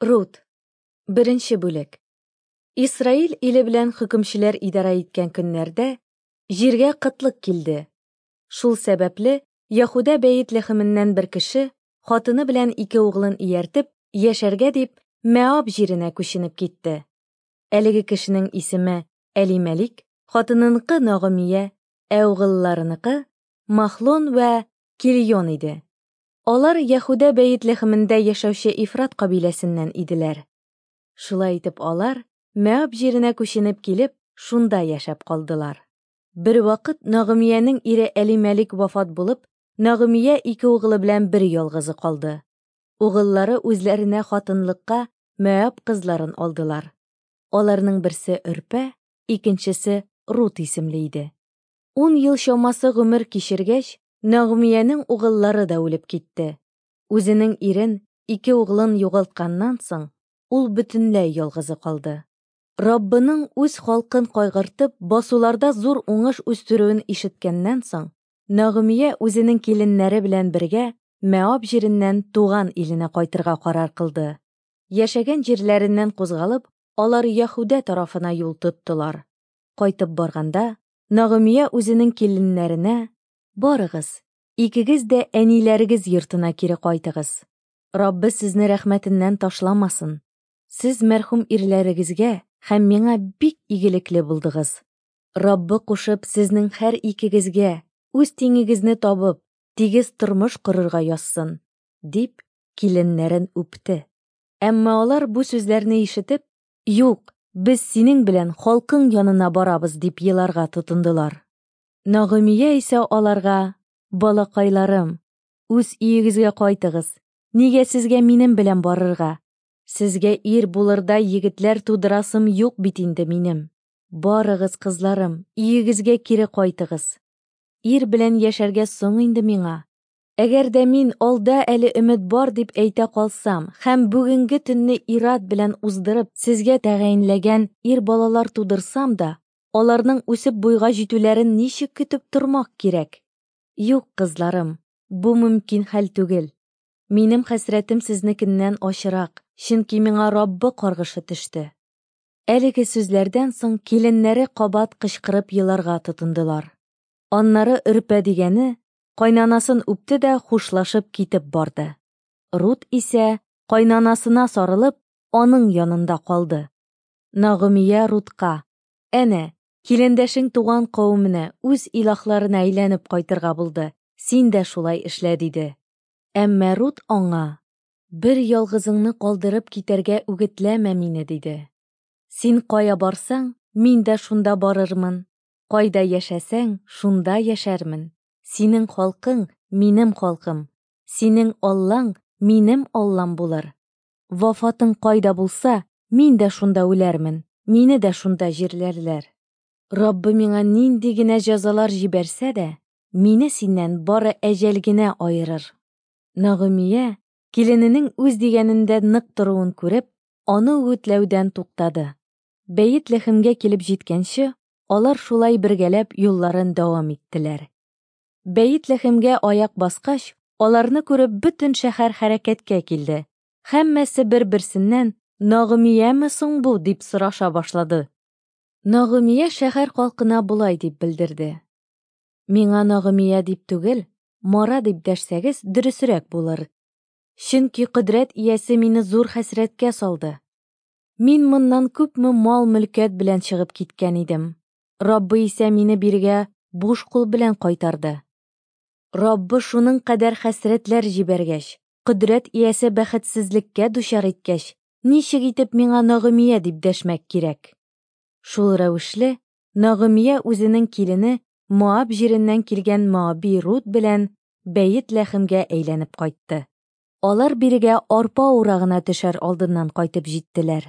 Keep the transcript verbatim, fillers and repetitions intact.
Рут. Беренче бүлек. Исраил иле белән хөкемчеләр идарә иткән көннәрдә җиргә кытлык килде. Шул сәбәпле Яһүдә Бәет-Лехеменнән бер кеше, хатыны белән ике углын ияртеп, яшәргә дип, Мәаб җиренә күченеп китте. Әлеге кешенең исеме Әлимәлик, хатыныныкы Нагымия, ә угылларыныкы Махлон вә Кильон иде. Алар Яһүдә Бәет-Лехемендә яшәүче Ифрат кабиләсеннән иделәр. Шулай итеп алар, Мәаб җиренә күченеп килеп, шунда яшәп калдылар. Бервакыт Нагымиянең ире Әлимәлик вафат булып, Нагымия ике угылы белән бер ялгызы калды. Угыллары үзләренә хатынлыкка Мәаб кызларын алдылар. Аларның берсе Өрпә, икенчесе Рут исемле иде. Ун ел чамасы гомер кичергәч, Нагымиянең угыллары да үлеп китте. Үзенең ирен, ике углын югалтканнан соң, ул бөтенләй ялгызы калды. Раббының үз халкын кайгыртып, басуларда зур уңыш үстерүен ишеткәннән соң, Нагымия үзенең киленнәре белән бергә Мәаб җиреннән туган иленә кайтырга карар кылды. Яшәгән җирләреннән кузгалып, алар Яһүдә тарафына юл тоттылар. Кайтып барганда, Нагымия үзенең киленнәренә: "Барыгыз, икегез дә әниләрегез йортына кире кайтыгыз. Раббы сезне рәхмәтеннән ташламасын. Сез мәрхүм ирләрегезгә һәм миңа бик игелекле булдыгыз. Раббы кушып, сезнең һәр икегезгә үз тиңегезне табып, тигез тормыш корырга язсын", дип, киленнәрен үпте. Әмма алар бу сүзләрне ишетеп: "Юк, без синең белән халкың янына барабыз", дип еларга тотындылар. Нагымия исә аларга: "Балакайларым, үз өегезгә кайтыгыз. Нигә сезгә минем белән барырга? Сезгә ир булырдай егетләр тудырасым юк бит инде минем. Барыгыз, кызларым, өегезгә кире кайтыгыз. Ир белән яшәргә соң инде миңа. Әгәр дә мин алда әле өмет бар дип әйтә калсам һәм бүгенге төнне ир-ат белән уздырып, сезгә тәгаенләгән ир балалар тудырсам да, аларның үсеп буйга җитүләрен ничек көтеп тормак кирәк? Юк, кызларым, бу мөмкин хәл түгел. Минем хәсрәтем сезнекеннән ачырак, чөнки миңа Раббы каргышы төште." Әлеге сүзләрдән соң киленнәре кабат кычкырып еларга тотындылар. Аннары Өрпә дигәне кайнанасын үпте дә хушлашып китеп барды. Рут исә кайнанасына сарылып, аның янында калды. Нагымия Рутка: "Әнә, килендәшең туган кавеменә, үз илаһларына әйләнеп кайтырга булды. Син дә шулай эшлә", диде. Әмма Рут аңа: "Бер ялгызыңны калдырып китәргә үгетләмә мине", диде. "Син кая барсаң, мин дә шунда барырмын. Кайда яшәсәң, шунда яшәрмен. Синең халкың минем халкым, синең Аллаң минем Аллам булыр. Вафатың кайда булса, мин дә шунда үләрмен, мине дә шунда җирләрләр. Раббы миңа нинди генә җәзалар җибәрсә дә, мине синнән бары әҗәл генә аерыр." Нагымия, килененең үз дигәнендә нык торуын күреп, аны үгетләүдән туктады. Бәет-Лехемгә килеп җиткәнче, алар шулай бергәләп юлларын дәвам иттеләр. Бәет-Лехемгә аяк баскач, аларны күреп бөтен шәһәр хәрәкәткә килде. Һәммәсе бер-берсеннән: "Нагымияме соң бу?" дип сораша башлады. Нагымия шәһәр халкына болай дип белдерде: "Миңа Нагымия дип түгел, Мара дип дәшсәгез, дөресрәк булыр. Чөнки кодрәт иясе мине зур хәсрәткә салды. Мин моннан күпме мал-мөлкәт белән чыгып киткән идем. Раббы исә мине бирегә буш кул белән кайтарды. Раббы шуның кадәр хәсрәтләр җибәргәч, кодрәт иясе бәхетсезлеккә дучар иткәч, ничек итеп миңа Нагымия дип дәшмәк кирәк?" Шул рәвешле Нагымия үзенең килене Моаб җиреннән килгән Моаби Рут белән Бәет-Лехемгә әйләнеп кайтты. Алар бирегә арпа урагына төшәр алдыннан кайтып җиттеләр.